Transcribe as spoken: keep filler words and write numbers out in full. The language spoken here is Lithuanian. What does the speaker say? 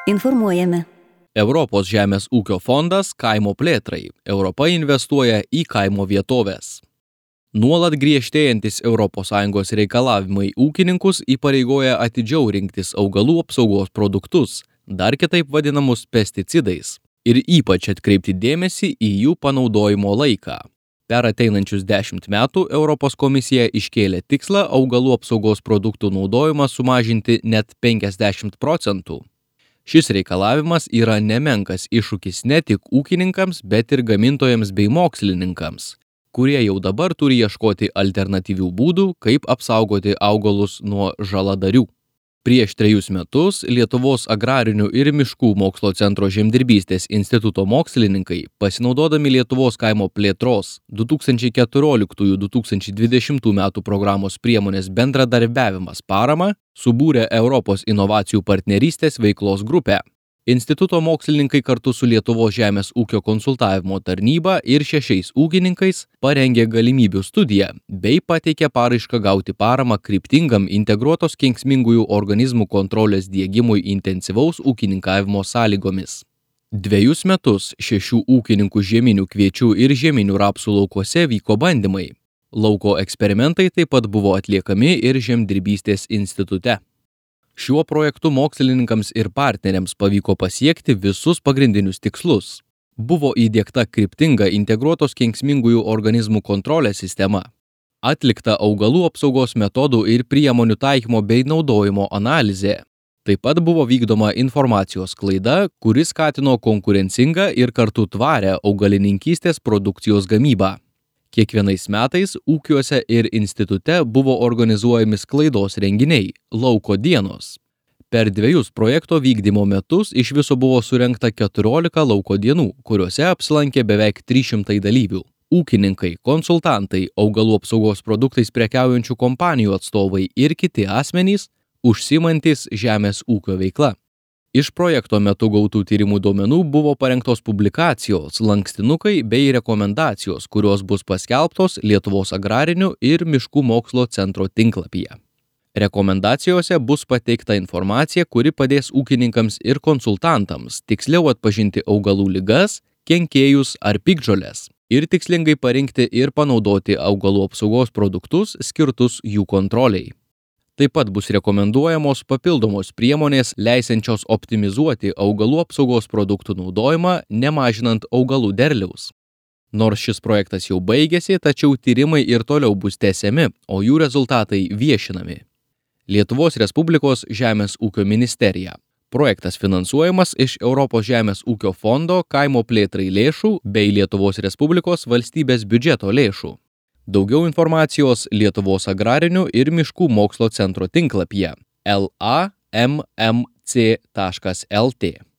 Informuojame. Europos žemės ūkio fondas kaimo plėtrai. Europa investuoja į kaimo vietovės. Nuolat griežtėjantis Europos Sąjungos reikalavimai ūkininkus įpareigoja atidžiau rinktis augalų apsaugos produktus, dar kitaip vadinamus pesticidais, ir ypač atkreipti dėmesį į jų panaudojimo laiką. Per ateinančius dešimt metų Europos komisija iškėlė tikslą augalų apsaugos produktų naudojimą sumažinti net penkiasdešimt procentų. Šis reikalavimas yra nemenkas iššūkis ne tik ūkininkams, bet ir gamintojams bei mokslininkams, kurie jau dabar turi ieškoti alternatyvių būdų, kaip apsaugoti augalus nuo žaladarių. Prieš trejus metus Lietuvos agrarinių ir miškų mokslo centro Žemdirbystės instituto mokslininkai, pasinaudodami Lietuvos kaimo plėtros du tūkstančiai keturioliktų - du tūkstančiai dvidešimtų metų programos priemonės bendradarbiavimas parama, subūrė Europos inovacijų partnerystės veiklos grupę. Instituto mokslininkai kartu su Lietuvos žemės ūkio konsultavimo tarnyba ir šešiais ūkininkais parengė galimybių studiją bei pateikė paraišką gauti paramą kryptingam integruotos kenksmingųjų organizmų kontrolės diegimui intensyvaus ūkininkavimo sąlygomis. Dvejus metus šešių ūkininkų žieminių kviečių ir žieminių rapsų laukuose vyko bandymai. Lauko eksperimentai taip pat buvo atliekami ir Žemdirbystės institute. Šiuo projektu mokslininkams ir partneriams pavyko pasiekti visus pagrindinius tikslus. Buvo įdiegta kryptinga integruotos kenksmingųjų organizmų kontrolės sistema. Atlikta augalų apsaugos metodų ir priemonių taikymo bei naudojimo analizė. Taip pat buvo vykdoma informacijos sklaida, kuri skatino konkurencingą ir kartu tvarę augalininkystės produkcijos gamybą. Kiekvienais metais ūkiuose ir institute buvo organizuojami sklaidos renginiai, lauko dienos. Per dviejus projekto vykdymo metus iš viso buvo surengta keturiolika lauko dienų, kuriuose apsilankė beveik trys šimtai dalyvių. Ūkininkai, konsultantai, augalų apsaugos produktais prekiaujančių kompanijų atstovai ir kiti asmenys, užsiimantys žemės ūkio veikla. Iš projekto metu gautų tyrimų duomenų buvo parengtos publikacijos, lankstinukai bei rekomendacijos, kurios bus paskelbtos Lietuvos agrarinių ir miškų mokslo centro tinklapyje. Rekomendacijose bus pateikta informacija, kuri padės ūkininkams ir konsultantams tiksliau atpažinti augalų ligas, kenkėjus ar piktžoles ir tikslingai parinkti ir panaudoti augalų apsaugos produktus skirtus jų kontroliai. Taip pat bus rekomenduojamos papildomos priemonės leisiančios optimizuoti augalų apsaugos produktų naudojimą, nemažinant augalų derliaus. Nors šis projektas jau baigėsi, tačiau tyrimai ir toliau bus tęsiami, o jų rezultatai viešinami. Lietuvos Respublikos Žemės ūkio ministerija. Projektas finansuojamas iš Europos žemės ūkio fondo kaimo plėtrai lėšų bei Lietuvos Respublikos valstybės biudžeto lėšų. Daugiau informacijos Lietuvos agrarinių ir miškų mokslo centro tinklapyje l a m m c taškas l t.